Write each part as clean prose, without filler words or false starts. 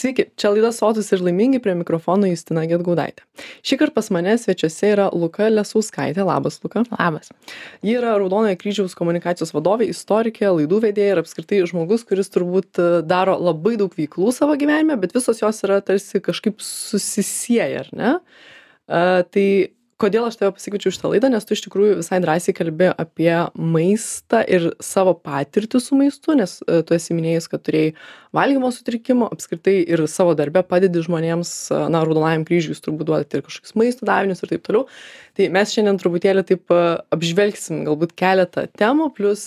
Sveiki, čia laida Sotūs ir laimingi, prie mikrofono Justina Gedgaudaitė. Šįkart pas mane svečiuose yra Luka Lesauskaitė. Labas, Luka. Labas. Ji yra Raudonojo kryžiaus komunikacijos vadovė, istorikė, laidų vedėja ir apskritai žmogus, kuris turbūt daro labai daug veiklų savo gyvenime, bet visos jos yra tarsi kažkaip susisieja, ar ne? Tai kodėl aš tave pasikviečiau šitą laidą, nes tu iš tikrųjų visai drąsiai kalbi apie maistą ir savo patirtį su maistu, nes tu esi minėjęs, kad turėjai valgymo sutrikimų, apskritai ir savo darbe padedi žmonėms, Raudonajam kryžiui jūs turbūt duodate ir kažkokius maisto davinius ir taip toliau. Tai mes šiandien truputėlį taip apžvelgsim galbūt keletą temų, plus,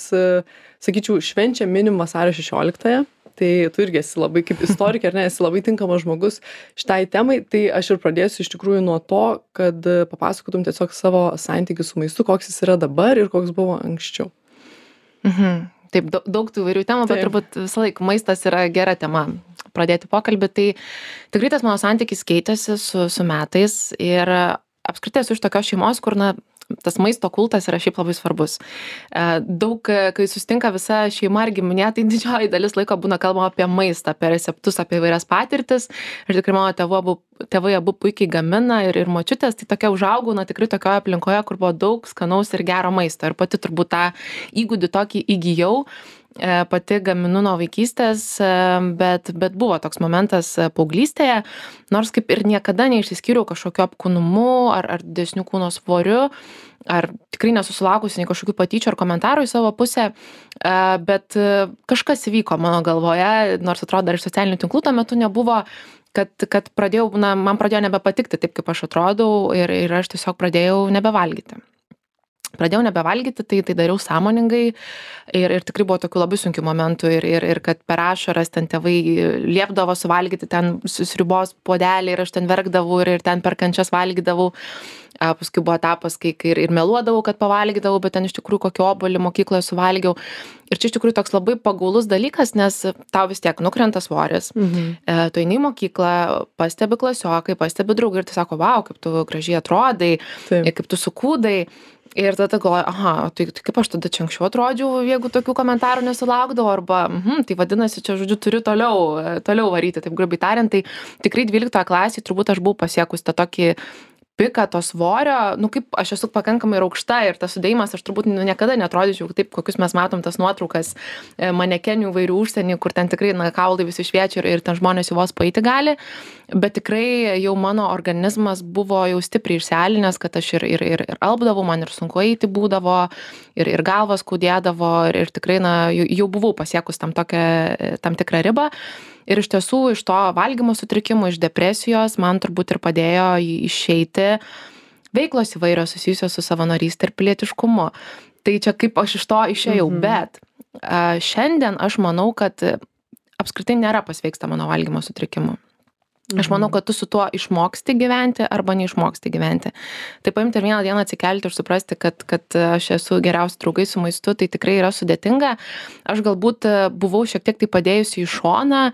sakyčiau, švenčia minim vasario 16-ąją. Tai tu irgi esi labai kaip istorikė, ar ne, esi labai tinkamas žmogus šitai temai, tai aš ir pradėsiu iš tikrųjų nuo to, kad papasakotum tiesiog savo santykį su maistu, koks jis yra dabar ir koks buvo anksčiau. Taip, daug tų įvairių temų, bet turbūt visą laiką maistas yra gera tema pradėti pokalbį. Tai tikrai tas mano santykis keitėsi su metais ir apskritai esu iš tokios šeimos, kur tas maisto kultas yra šiaip labai svarbus. Daug, kai susitinka visa šeima ar giminė, tai didžioji dalis laiko būna kalbama apie maistą, apie receptus, apie įvairias patirtis. Ir tikrai mano tėvai abu puikiai gamina ir močiutės, tai tokia užaugau, tikrai tokioje aplinkoje, kur buvo daug skanaus ir gero maisto. Ir pati turbūt tą įgūdį tokį įgijau. Pati gaminu nuo vaikystės, bet buvo toks momentas paauglystėje, nors kaip ir niekada neišsiskyriau kažkokiu apkūnumu ar didesniu kūno svoriu, ar tikrai nesusilaukusi nei kažkokių patyčių ar komentarų į savo pusę, bet kažkas įvyko mano galvoje, nors atrodo dar iš socialinių tinklų tuo metu nebuvo, kad man pradėjo nebepatikti taip, kaip aš atrodau ir aš tiesiog pradėjau nebevalgyti. Tai dariau sąmoningai ir tikrai buvo tokių labai sunkių momentų ir kad per ašaras ten tėvai liepdavo suvalgyti ten sriubos puodelį ir aš ten verkdavau ir ten per kančias valgydavau. Paskui buvo etapas, kai ir meluodavau, kad pavalgydavau, bet ten iš tikrųjų kokį obuolį mokykloje suvalgiau. Ir čia iš tikrųjų toks labai pagaulus dalykas, nes tau vis tiek nukrenta svoris. Tu eini į mokyklą, pastebi klasiokai, pastebi draugai ir tu sako, vau, kaip tu gražiai atrodai, kaip tu sukūdai. Ir tada galvoju, tai kaip aš tada čia anksčiau atrodžiau, jeigu tokių komentarų nesulaukdavau, arba, tai vadinasi, čia, žodžiu, turiu toliau varyti, taip grubiai tariant, tai tikrai 12 klasėje turbūt aš buvau pasiekus tą tokį piką to svorio, kaip aš esu pakankamai aukšta ir tas sudėjimas, aš turbūt niekada neatrodyčiau taip, kokius mes matom tas nuotraukas manekenių įvairių užsienį, kur ten tikrai kaulai visi šviečia ir ten žmonės jau vos paeiti gali, bet tikrai jau mano organizmas buvo jau stipriai išsialinęs, kad aš ir alpdavau, man ir sunku eiti būdavo, ir galvas skaudėdavo ir tikrai jau buvau pasiekus tam tikrą ribą. Ir iš tiesų, iš to valgymo sutrikimų, iš depresijos, man turbūt ir padėjo išeiti veiklos įvairios susijusios su savanorystė ir pilietiškumu. Tai čia kaip aš iš to išėjau, bet šiandien aš manau, kad apskritai nėra pasveiksta mano valgymo sutrikimu. Aš manau, kad tu su tuo išmoksti gyventi arba neišmoksti gyventi. Tai paimti ir vieną dieną atsikelti ir suprasti, kad aš esu geriausi draugai su maistu, tai tikrai yra sudėtinga. Aš galbūt buvau šiek tiek tai padėjusi į šoną,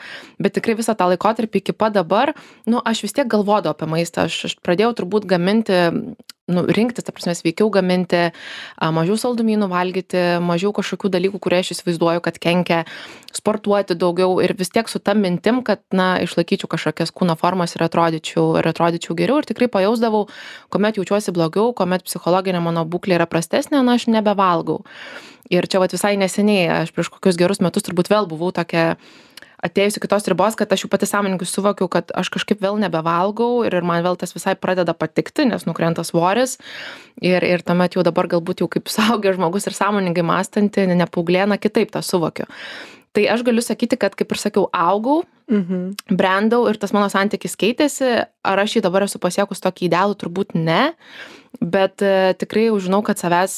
bet tikrai visą tą laikotarpį iki pat dabar, aš vis tiek galvodavau apie maistą. Aš pradėjau turbūt gaminti, rinktis, ta prasme, sveikiau gaminti, mažiau saldumynų valgyti, mažiau kažkokių dalykų, kurie aš įsivaizduoju, kad kenkia, sportuoti daugiau ir vis tiek su ta mintim, kad, išlaikyčiau kažkokias kūno formas ir atrodyčiau geriau ir tikrai pajausdavau, kuomet jaučiuosi blogiau, kuomet psichologinė mano būklė yra prastesnė, aš nebevalgau. Ir čia visai neseniai, aš prieš kokius gerus metus turbūt vėl buvau tokia atėjusi kitos ribos, kad aš jau pati sąmoningai suvokiau, kad aš kažkaip vėl nebevalgau ir man vėl tas visai pradeda patikti, nes nukrenta svoris ir tuomet jau dabar galbūt jau kaip suaugęs žmogus ir sąmoningai mąstanti, nepauglėna, kitaip tą suvokiu. Tai aš galiu sakyti, kad kaip ir sakiau, augau, brendau ir tas mano santykis keitėsi, ar aš jį dabar esu pasiekus tokį idealų, turbūt ne, bet tikrai jau žinau, kad savęs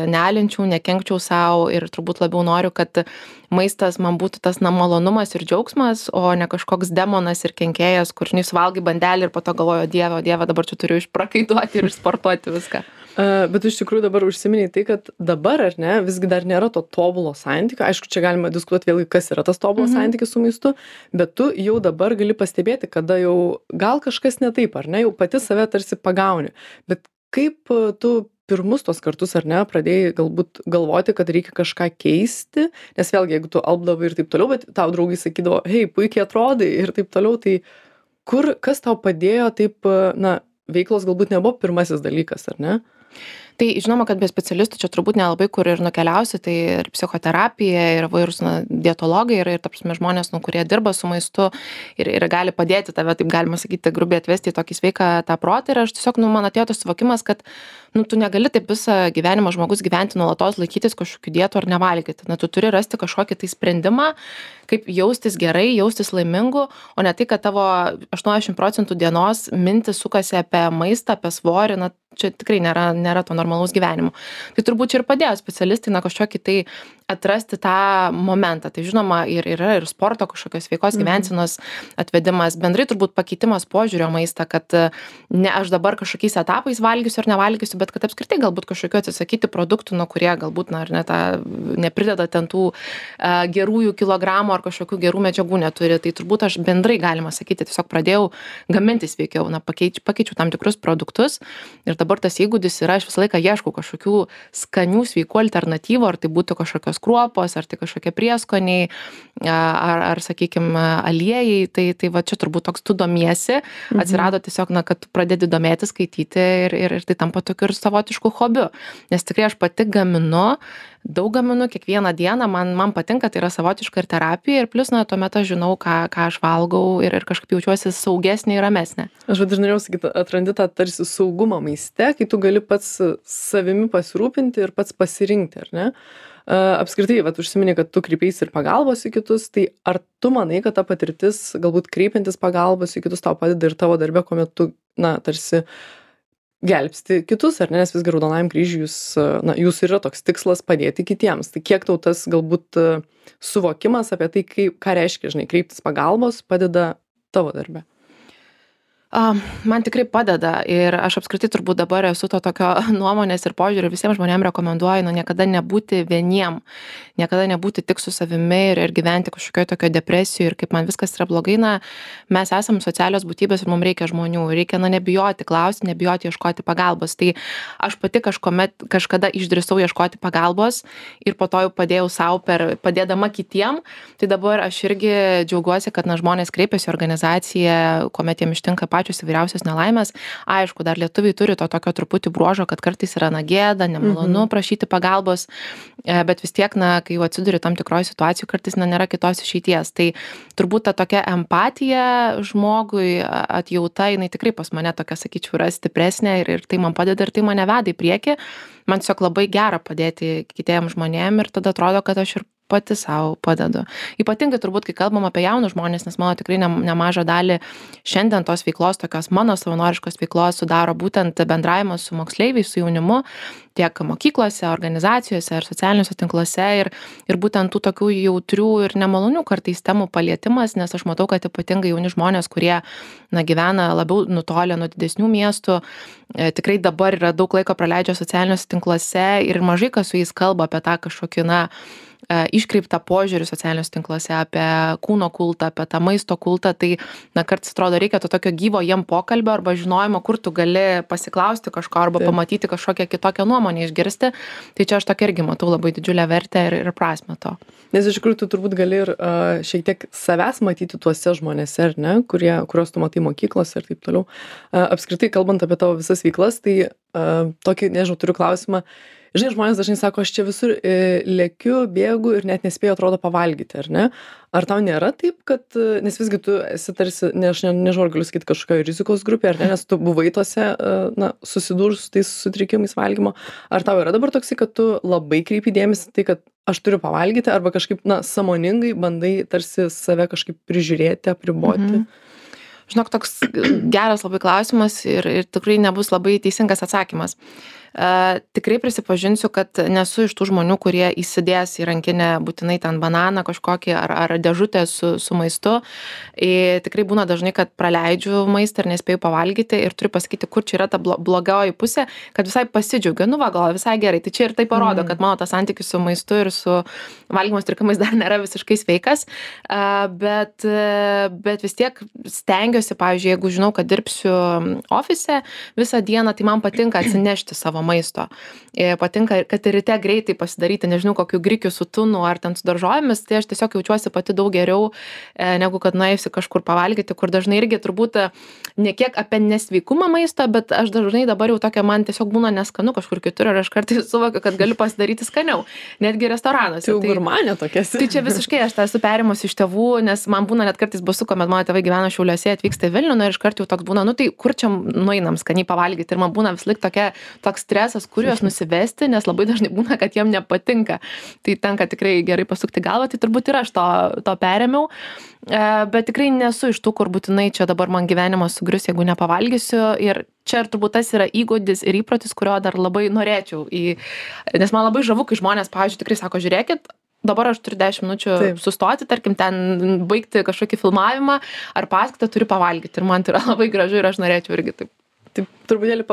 nealinčiau, nekenkčiau savo ir turbūt labiau noriu, kad maistas man būtų tas malonumas ir džiaugsmas, o ne kažkoks demonas ir kenkėjas, kur suvalgai bandelį ir po to galvoju, Dieve, dabar čia turiu išprakaituoti ir išsportuoti viską. Bet iš tikrųjų dabar užsiminei tai, kad dabar, ar ne, visgi dar nėra to tobulo santykio. Aišku, čia galima diskutuoti vėlgi, kas yra tas tobulas santykis su maistu, bet tu jau dabar gali pastebėti, kada jau gal kažkas ne taip, ar ne, jau pati save tarsi pagauni. Bet kaip tu pirmus tos kartus, ar ne, pradėjai galbūt galvoti, kad reikia kažką keisti, nes vėlgi, jeigu tu alpdavai ir taip toliau, bet tau draugai sakydavo, hei, puikiai atrodai ir taip toliau, tai kas tau padėjo taip, na, veiklos galbūt nebuvo pirmasis dalykas, ar ne? Tai žinoma, kad be specialistų čia turbūt nelabai kur ir nukeliausi, tai ir psichoterapija, ir vairūs dietologai, ir ta prasme žmonės, kurie dirba su maistu ir gali padėti tave, taip galima sakyti, grubiai atvesti į tokį sveiką tą protą. Ir aš tiesiog, man atėjo tas suvokimas, kad tu negali taip visą gyvenimą žmogus gyventi nuolatos, laikytis kažkokių dietų ar nevalgyti. Tu turi rasti kažkokį tai sprendimą, kaip jaustis gerai, jaustis laimingu, o ne tai, kad tavo 80% dienos mintis sukasi apie maistą, apie svorį, čia tikrai nėra to normalaus gyvenimo. Tai turbūt čia ir padėjo specialistai, kažkokį tai atrasti tą momentą. Tai žinoma, yra ir sporto kažkokios sveikos gyvensenos atvedimas, bendrai turbūt pakeitimas požiūrio maistą, kad ne aš dabar kažkokiais etapais valgysiu ar nevalgysiu, bet kad apskritai galbūt kažkokiu atsisakyti produktų, kurie galbūt neprideda ten tų gerųjų kilogramų ar kažkokių gerų medžiagų neturi. Tai turbūt aš bendrai, galima sakyti, tiesiog pradėjau gaminti sveikiau, pakeičiau tam tikrus produktus ir dabar tas įgūdis yra, aš visą laiką ieškau kažkokių skanių, sveikų alternatyvų, ar tai būtų kažkokios kruopos, ar tai kažkokie prieskoniai, ar sakykime, aliejai, tai va čia turbūt toks tu domiesi, atsirado tiesiog, kad tu pradedi domėti, skaityti ir tai tampa tokiu ir savotišku hobiu, nes tikrai aš pati daug gaminu kiekvieną dieną, man patinka, tai yra savotiška ir terapija, ir plus, tuomet aš žinau, ką aš valgau ir kažkaip jaučiuosi saugesnė ir ramesnė. Aš dažnai sakyti, atrandi tą tarsi saugumą maiste, kai tu gali pats savimi pasirūpinti ir pats pasirinkti, ar ne? Apskritai, užsiminė, kad tu kreipeisi ir pagalbos į kitus, tai ar tu manai, kad ta patirtis, galbūt kreipiantis pagalbos į kitus tau padeda ir tavo darbe, kuomet tu, tarsi gelbsti kitus, ar ne, nes visgi Raudonajam Kryžiui jūsų yra toks tikslas padėti kitiems. Tai kiek tau tas galbūt suvokimas apie tai, ką reiškia, kreiptis pagalbos, padeda tavo darbe? Man tikrai padeda ir aš apskritai turbūt dabar esu to tokio nuomonės ir požiūrį visiems žmonėms rekomenduoju, niekada nebūti vieniem, niekada nebūti tik su savimi ir gyventi kažkokioje tokio depresijoje ir kaip man viskas yra blogai, mes esam socialios būtybės ir mums reikia žmonių, reikia nebijoti klausti, nebijoti ieškoti pagalbos. Tai aš pati kažkada išdrįsau ieškoti pagalbos ir po to jau padėjau savo padėdama kitiem, tai dabar aš irgi džiaugiuosi, kad žmonės kreipiasi į organizaciją, kuomet jiems ištinka pačios įvairiausios nelaimės. Aišku, dar lietuviai turi to tokio truputį bruožo, kad kartais yra gėda, nemalonu prašyti pagalbos, bet vis tiek, kai jau atsiduri tam tikroje situacijoje, kartais nėra kitos išeities. Tai turbūt ta tokia empatija žmogui, atjauta, jinai tikrai pas mane tokia, sakyčiau, yra stipresnė ir tai man padeda ir tai mane veda į priekį. Man tiesiog labai gera padėti kitiems žmonėms ir tada atrodo, kad aš ir pati savo padedu. Ypatingai turbūt, kai kalbam apie jaunus žmonės, nes mano tikrai nemažą dalį šiandien tos veiklos, tokios mano savanoriškos veiklos sudaro būtent bendravimas su moksleiviais, su jaunimu, tiek mokyklose, organizacijose ir socialiniuose tinkluose ir būtent tų tokių jautrių ir nemalonių kartais temų palietimas, nes aš matau, kad ypatingai jauni žmonės, kurie gyvena labiau nutolę nuo didesnių miestų, tikrai dabar yra daug laiko praleidžia socialiniuose tinkluose ir mažai kas su jais kalba apie tą kažkokį iškreiptą požiūrį socialiniuose tinkluose apie kūno kultą, apie tą maisto kultą, tai kartais atrodo reikia to tokio gyvo jiem pokalbio arba žinojimo, kur tu gali pasiklausti kažko arba pamatyti kažkokią kitokią nuomonę išgirsti. Tai čia aš tokia irgi matau labai didžiulę vertę ir prasmę to. Nes iš tikrųjų tu turbūt gali ir šiek tiek savęs matyti tuose žmonėse, ar ne, kuriuos tu matai mokyklose ir taip toliau. Apskritai, kalbant apie tavo visas veiklas, tai tokį, nežinau, turiu klausimą. Žinai, žmonės dažnai sako, aš čia visur lėkiu, bėgu ir net nespėju, atrodo, pavalgyti, ar ne? Ar tau nėra taip, kad, nes visgi tu esi tarsi, nežinau, galiu sakyti, kažkokio rizikos grupė, ar ne, nes tu buvai tose, susidūrus su tais sutrikimais valgymo. Ar tau yra dabar toksai, kad tu labai kreipi dėmesį tai, kad aš turiu pavalgyti, arba kažkaip, sąmoningai bandai tarsi save kažkaip prižiūrėti, apriboti? Žinok, toks geras labai klausimas ir tikrai nebus labai teisingas atsakymas. Tikrai prisipažinsiu, kad nesu iš tų žmonių, kurie įsidės į rankinę būtinai ten bananą kažkokį ar dėžutę su maistu. Tikrai būna dažnai, kad praleidžiu maistą ir nespėju pavalgyti ir turiu pasakyti, kur čia yra ta blogoji pusė, kad visai pasidžiaugiu, gal visai gerai. Tai čia ir tai parodo, kad mano tas santykis su maistu ir su valgymo sutrikimais dar nėra visiškai sveikas, bet vis tiek stengiuosi, pavyzdžiui, jeigu žinau, kad dirbsiu ofise visą dieną, tai man patinka atsinešti savo maisto. Patinka, kad ir ryte greitai pasidaryti, nežinau, kokiu grikiu su tunu ar ten su daržovėmis, tai aš tiesiog jaučiuosi pati daug geriau, negu kad nuėjusi kažkur pavalgyti, kur dažnai irgi turbūt ne kiek apie nesveikumą maisto, bet aš dažnai dabar jau tokia man tiesiog būna neskanu kažkur kitur ir aš kartais suvokiu, kad galiu pasidaryti skaniau, netgi restoranuose. Tai gurmanė tokia. Tai čia visiškai aš tą esu perimus iš tėvų, nes man būna net kartais baisu, kuomet mano tėvai gyvena Šiauliuose, atvyksta į Vilnių, ir iškart jau toks būna, nu tai kur čia nueinam skaniai pavalgyti, ir man būna vis laik toks stresas, kur juos nusivesti, nes labai dažnai būna, kad jiem nepatinka. Tai tenka tikrai gerai pasukti galvą, tai turbūt ir aš to perėmiau, bet tikrai nesu iš tų, kur būtinai čia dabar man gyvenimas sugrius, jeigu nepavalgysiu, ir čia ir turbūt tas yra įgūdis ir įprotis, kurio dar labai norėčiau, nes man labai žavu, kai žmonės, pavyzdžiui, tikrai sako, žiūrėkit, dabar aš turiu 10 minučių sustoti, tarkim, ten baigti kažkokį filmavimą ar paskaitą, turiu pavalgyti. Ir man tai yra labai gražu ir aš norėčiau irgi taip. Taip, truputėlį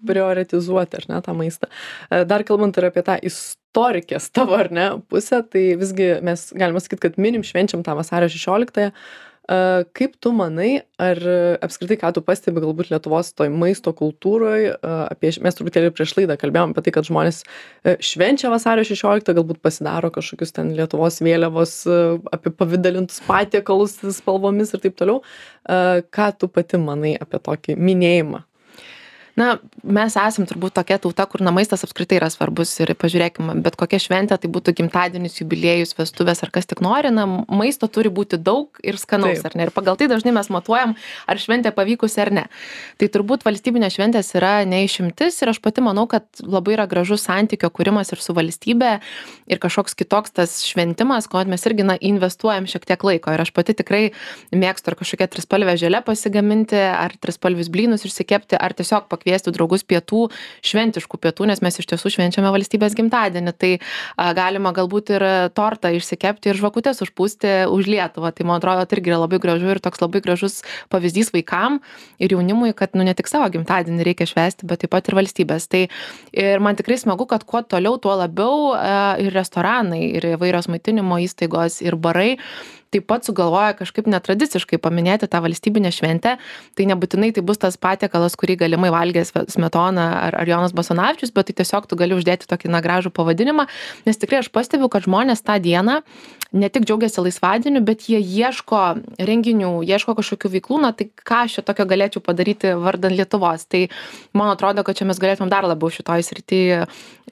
prioritizuoti, ar ne, tą maistą. Dar kalbant ir apie tą istorikės tavo, ar ne, pusę, tai visgi mes galime sakyti, kad minim švenčiam tą vasario 16-ąją. Kaip tu manai, ar apskritai, ką tu pastebi galbūt Lietuvos toj maisto kultūroje, mes truputėlį prieš laidą kalbėjom apie tai, kad žmonės švenčia vasario 16, galbūt pasidaro kažkokius ten Lietuvos vėliavos, apipavidalintus patiekalus spalvomis ir taip toliau. Ką tu pati manai apie tokį minėjimą? Na, mes esam turbūt tokia tauta, kur maistas apskritai yra svarbus ir pažiūrėkime, bet kokia šventė, tai būtų gimtadienis, jubiliejus, vestuvės ar kas tik nori, maisto turi būti daug ir skanaus, ar ne? Ir pagal tai dažnai mes matuojam, ar šventė pavykusi ar ne. Tai turbūt valstybinės šventės yra neišimtis ir aš pati manau, kad labai yra gražus santykio kūrimas ir su valstybė ir kažkoks kitoks tas šventimas, kuomet mes irgi investuojam šiek tiek laiko. Ir aš pati tikrai mėgstu ar kažkokią trispalvę želę pasigaminti, ar trispalvius blynus išsikepti, ar tiesiog kviesti draugus pietų, šventiškų pietų, nes mes iš tiesų švenčiame valstybės gimtadienį. Tai galima galbūt ir tortą išsikepti ir žvakutes užpūsti už Lietuvą. Tai man atrodo, tai irgi yra labai gražu ir toks labai gražus pavyzdys vaikam ir jaunimui, kad ne tik savo gimtadienį reikia švęsti, bet taip pat ir valstybės. Tai ir man tikrai smagu, kad kuo toliau, tuo labiau ir restoranai, ir įvairios maitinimo įstaigos, ir barai taip pat sugalvoja kažkaip netradiciškai paminėti tą valstybinę šventę. Tai nebūtinai tai bus tas patiekalas, kurį galimai valgė Smetona ar Jonas Basanavičius, bet tai tiesiog tu gali uždėti tokį gražų pavadinimą, nes tikrai aš pastebiu, kad žmonės tą dieną ne tik džiaugiasi laisvadieniu, bet jie ieško renginių, ieško kažkokių veiklų, tai ką aš čia tokio galėčiau padaryti vardan Lietuvos. Tai man atrodo, kad čia mes galėtumėm dar labiau šitoj srityje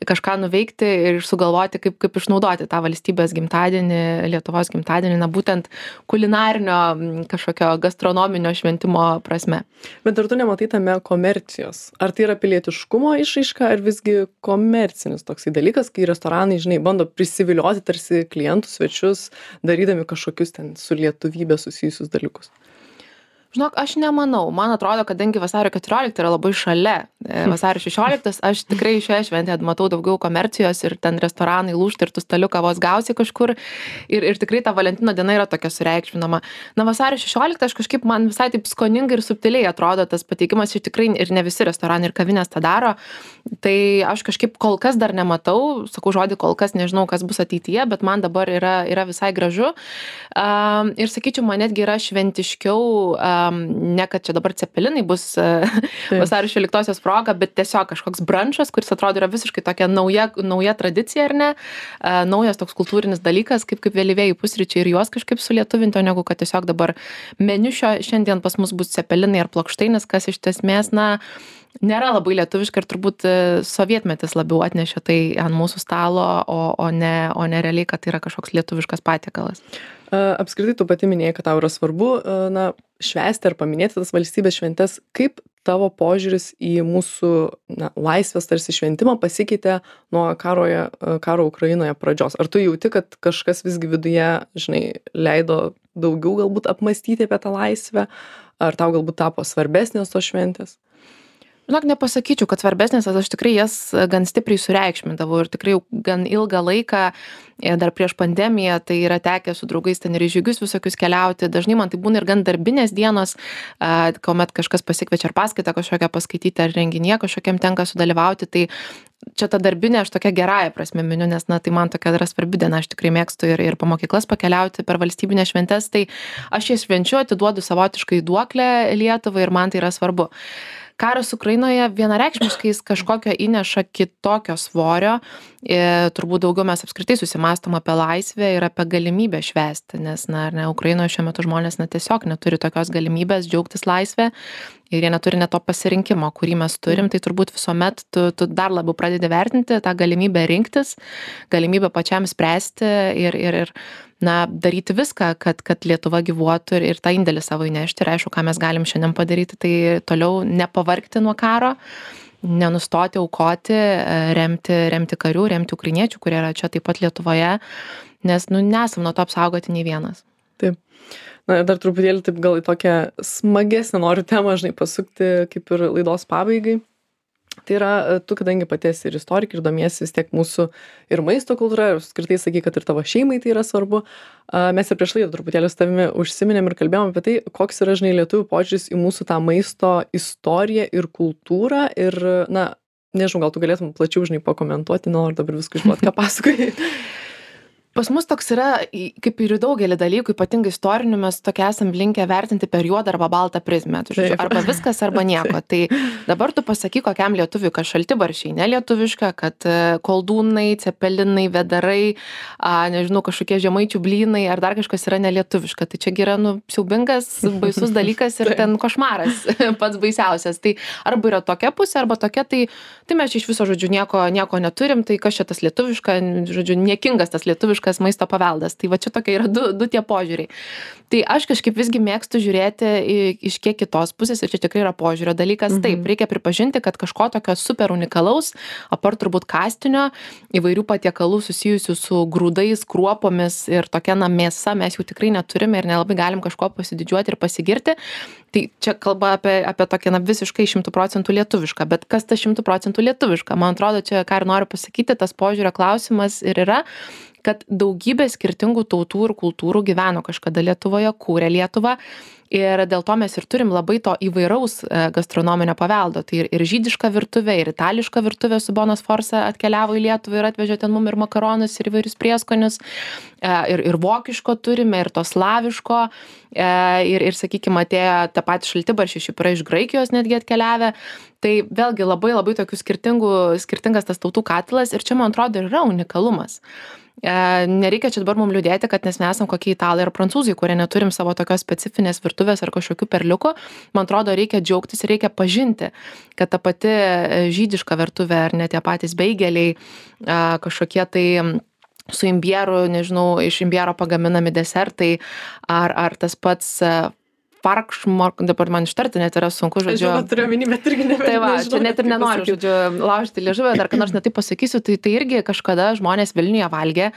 kažką nuveikti ir sugalvoti, kaip išnaudoti tą valstybės gimtadienį, Lietuvos gimtadienį, būtent kulinarinio kažkokio gastronominio šventimo prasme. Bet ar tu nematai tame komercijos? Ar tai yra pilietiškumo išraiška, ar visgi komercinis toksai dalykas, kai restoranai, žinai, bando prisivilioti tarsi klientus, svečius, darydami kažkokius ten su lietuvybė susijusius dalykus? Žinok, aš nemanau. Man atrodo, kadangi vasario 14 yra labai šalia vasario 16, aš tikrai šioje šventėje matau daugiau komercijos ir ten restoranai lūžta ir tu staliuką vos gausi kažkur. Ir tikrai ta Valentino diena yra tokia sureikšminama. Vasario 16 aš kažkaip man visai taip skoningai ir subtiliai atrodo tas pateikimas, ir tikrai ir ne visi restoranai ir kavinės tą daro. Tai aš kažkaip kol kas dar nematau, sakau žodį kol kas, nežinau, kas bus ateityje, bet man dabar yra visai gražu. Ir sakyčiau, man netgi yra šventiškiau, ne kad čia dabar cepelinai bus vasario 16 proga, bet tiesiog kažkoks brunchas, kuris atrodo yra visiškai tokia nauja tradicija, ar ne, naujas toks kultūrinis dalykas, kaip vėlyvieji pusryčiai ir juos kažkaip sulietuvinto, negu kad tiesiog dabar meniu šiandien pas mus bus cepelinai ar plokštainis, kas iš esmės, nėra labai lietuviška ir turbūt sovietmetis labiau atnešė tai ant mūsų stalo, o ne realiai, kad tai yra kažkoks lietuviškas patiekalas. Apskritai, tu pati minėjai, kad tau yra svarbu švęsti ar paminėti tas valstybės šventes. Kaip tavo požiūris į mūsų laisvės tarsi šventimą pasikeitė nuo karo Ukrainoje pradžios? Ar tu jauti, kad kažkas visgi viduje, žinai, leido daugiau galbūt apmąstyti apie tą laisvę? Ar tau galbūt tapo svarbesnės tos šventės? Žinok, nepasakyčiau, kad svarbesnės, aš tikrai jas gan stipriai sureikšmindavau ir tikrai gan ilgą laiką, dar prieš pandemiją, tai yra tekę su draugais ten ir į žygius visokius keliauti. Dažnai man tai būna ir gan darbinės dienos, kuomet kažkas pasikviečia ar paskaitą kažkokią paskaityti, ar renginyje kažkokiam tenka sudalyvauti. Tai čia ta darbinė, aš tokia gerąja prasme miniu, nes tai man tokia yra svarbi diena, aš tikrai mėgstu ir po mokyklas pakeliauti per valstybinės šventes, tai aš jas švenčiu, atiduodu savotiškai duoklę Lietuvai ir man tai yra svarbu. karas Ukrainoje vienareikšmiškai jis kažkokio įneša kitokio svorio. Turbūt daugiau mes apskritai susimąstom apie laisvę ir apie galimybę švęsti, nes, Ukrainoje šiuo metu žmonės tiesiog neturi tokios galimybės džiaugtis laisvę ir jie neturi net to pasirinkimo, kurį mes turim, tai turbūt visuomet tu dar labiau pradedi vertinti tą galimybę rinktis, galimybę pačiam spręsti ir daryti viską, kad Lietuva gyvuotų ir tą indėlį savo įnešti. Ir aišku, ką mes galim šiandien padaryti, tai toliau nepavargti nuo karo, nenustoti aukoti, remti karių, remti ukrainiečių, kurie yra čia taip pat Lietuvoje, nes nesam nuo to apsaugoti nei vienas. Taip. Ir dar truputėlį taip gal į tokią smagesnę noriu temą, pasukti kaip ir laidos pabaigai. Tai yra, tu kadangi pati esi ir istorikė ir domiesi vis tiek mūsų ir maisto kultūra, ir skirtai sakai, kad ir tavo šeimai tai yra svarbu. Mes ir prieš laidą truputėlį su tavimi užsiminėm ir kalbėjom apie tai, koks yra, lietuvių požiūris į mūsų tą maisto istoriją ir kultūrą. Ir, nežinau, gal tu galėtum plačiau, pakomentuoti, noriu dabar viską išduoti, ką pasakoji. Pas mus toks yra, kaip ir daugelį dalykų, ypatingai istorinių, mes tokia esam linkę vertinti per juodą arba baltą prizmę. Arba viskas, arba nieko. Tai dabar tu pasakyk kokiam lietuviui, kad šaltibarščiai nelietuviška, kad koldūnai, cepelinai, vedarai, nežinau, kažkokie žemaičių blynai ar dar kažkas yra nelietuviška. Tai čia yra, siaubingas, baisus dalykas ir ten košmaras pats baisiausias. Tai arba yra tokia pusė, arba tokia, tai mes iš viso, nieko neturim, tai kas čia tas lietuviška, niekingas tas lietuviškas maisto paveldas. Tai va čia tokia yra du tie požiūriai. Tai aš kažkaip visgi mėgstu žiūrėti iš kiek kitos pusės ir čia tikrai yra požiūrio dalykas. Taip, reikia pripažinti, kad kažko tokio super unikalaus, apart turbūt kastinio, įvairių patiekalų susijusių su grūdais, kruopomis ir tokia mėsa mes jų tikrai neturime ir nelabai galim kažko pasididžiuoti ir pasigirti. Tai čia kalba apie tokią visiškai 100% lietuvišką, bet kas ta 100% lietuviška? Man atrodo, čia ką ir noriu pasakyti, tas požiūrio klausimas ir yra, kad daugybė skirtingų tautų ir kultūrų gyveno kažkada Lietuvoje, kūrė Lietuvą ir dėl to mes ir turim labai to įvairaus gastronominio paveldo. Tai ir žydiška virtuvė, ir itališka virtuvė su Bona Sforza atkeliavo į Lietuvą ir atvežė ten mum ir makaronus, ir įvairius prieskonius, ir vokiško turime, ir to slaviško, ir sakykime, atėjo tą patį šaltibarščiai, šiaip yra iš Graikijos netgi atkeliavę. Tai vėlgi labai tokių skirtingas tas tautų katilas ir čia, man atrodo, ir yra unikalumas. Nereikia čia dabar mums liūdėti, kad mes nesam kokie italai ar prancūzai, kurie neturim savo tokios specifinės virtuvės ar kažkokių perliukų. Man atrodo, reikia džiaugtis ir reikia pažinti, kad ta pati žydiška virtuvė ar net tie patys beigeliai, kažkokie tai su imbieru, nežinau, iš imbiero pagaminami desertai ar tas pats farkšmork, dabar man ištarti net yra sunku, žodžiu. Aš turiu omeny, bet irgi nežinau. Tai va, čia net ir nenoriu, žodžiu, laužti liežuvę, dar ką nors netaip pasakysiu, tai irgi kažkada žmonės Vilniuje valgė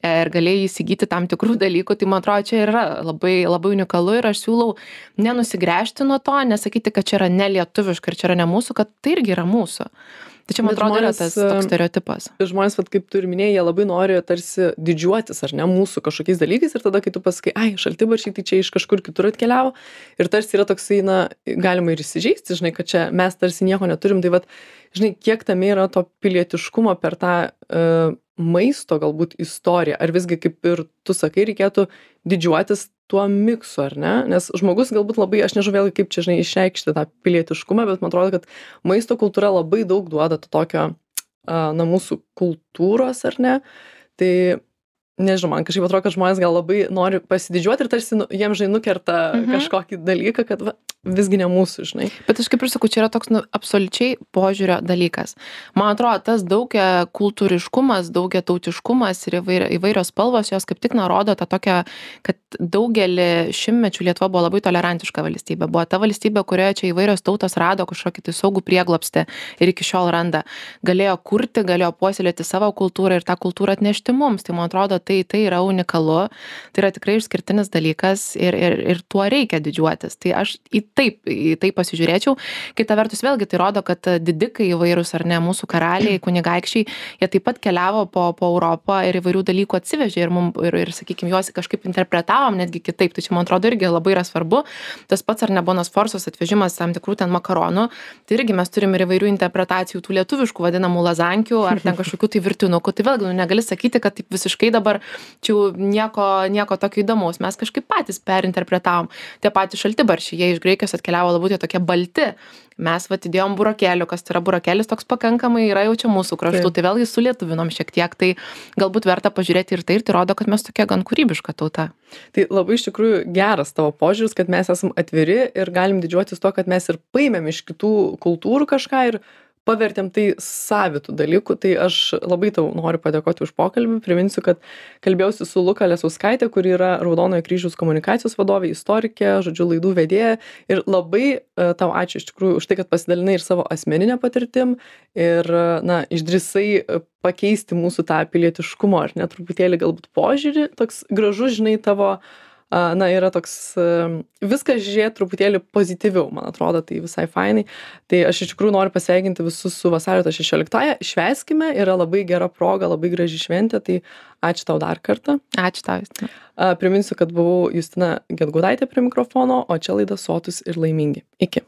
ir galėjo įsigyti tam tikrų dalykų, tai man atrodo, čia yra labai unikalu ir aš siūlau nenusigręžti nuo to, nesakyti, kad čia yra nelietuviška ir čia yra ne mūsų, kad tai irgi yra mūsų. Tai čia, man atrodo, yra tas toks stereotipas. Žmonės, kaip tu ir minėjai, jie labai nori tarsi didžiuotis, ar ne, mūsų kažkokiais dalykais ir tada, kai tu pasakai, šaltibarščiai, tai čia iš kažkur kitur atkeliavo ir tarsi yra toksai, galima ir įsižeisti, kad čia mes tarsi nieko neturim, tai kiek tame yra to pilietiškumo per tą maisto galbūt istoriją, ar visgi, kaip ir tu sakai, reikėtų didžiuotis tuo miksu, ar ne? Nes žmogus galbūt labai, aš nežinau vėlgi, kaip čia, išreikšti tą pilietiškumą, bet man atrodo, kad maisto kultūra labai daug duoda to tokio, mūsų kultūros, ar ne? Tai, nežinau, man kažkaip atrodo, kad žmonės gal labai nori pasididžiuoti ir tarsi jiems, nukerta kažkokį dalyką, kad visgi ne mūsų, Bet aš kaip ir sakau, čia yra toks absoliučiai požiūrio dalykas. Man atrodo, tas daugia kultūriškumas, daugia tautiškumas ir įvairios spalvos, jos kaip tik rodo tą tokią, kad daugelį šimtmečių Lietuva buvo labai tolerantiška valstybė. Buvo ta valstybė, kurioje čia įvairios tautos rado kažkokį tai saugų prieglobstį ir iki šiol randa. Galėjo kurti, galėjo puoselėti savo kultūrą ir tą kultūrą atnešti mums. Tai man atrodo, tai yra unikalu, tai yra tikrai išskirtinis dalykas ir tuo reikia didžiuotis. Tai aš į tai pasižiūrėčiau. Kita vertus, vėlgi tai rodo, kad didikai įvairūs ar ne, mūsų karaliai, kunigaikščiai, jie taip pat keliavo po Europą ir įvairių dalykų atsivežė ir sakykime, juos kažkaip interpretavom netgi kitaip. Tai čia, man atrodo, irgi labai yra svarbu. Tas pats ar ne Bona Sforzos atvežimas tam tikrų ten makaronų, tai irgi mes turime ir įvairių interpretacijų tų lietuviškų vadinamų lazankių ar ten kažkokių tai virtinukų. Tai vėlgi negali sakyti, kad taip visiškai dabar čia nieko tokio įdomaus. Mes kažkaip patys perinterpretavom. Tie patys šaltibarščiai, jie iš Graikijos prekės atkeliavo labiau tie tokie balti. Mes vat įdėjom burokėlių, kas tai yra burokėlis toks pakankamai yra jau čia mūsų kraštų, tai vėlgi sulietuvinom šiek tiek, tai galbūt verta pažiūrėti ir tai rodo, kad mes tokia gan kūrybiška tauta. Tai labai iš tikrųjų geras tavo požiūris, kad mes esam atviri ir galim didžiuotis to, kad mes ir paėmėm iš kitų kultūrų kažką ir pavertėm tai savitų dalykų. Tai aš labai tau noriu padėkoti už pokalbį. Priminsiu, kad kalbėjausi su Luka Lesauskaitė, kuri yra Raudonojo kryžiaus komunikacijos vadovė, istorikė, žodžiu, laidų vedėja. Ir labai tau ačiū iš tikrųjų už tai, kad pasidalinai ir savo asmeninę patirtim ir, na, išdrįsai pakeisti mūsų tą pilietiškumo, ar ne, truputėlį galbūt požiūrį. Toks gražus, žinai, tavo na, yra toks viskas žiūrėt truputėlį pozityviau, man atrodo, tai visai fainai. Tai aš iš tikrųjų noriu pasveikinti visus su vasario 16-ąją. Švęskime, yra labai gera proga, labai graži šventė, tai ačiū tau dar kartą. Ačiū tau, Justina. Priminsiu, kad buvau Justina Gedgaudaitė prie mikrofono, o čia laida Sotūs ir laimingi. Iki.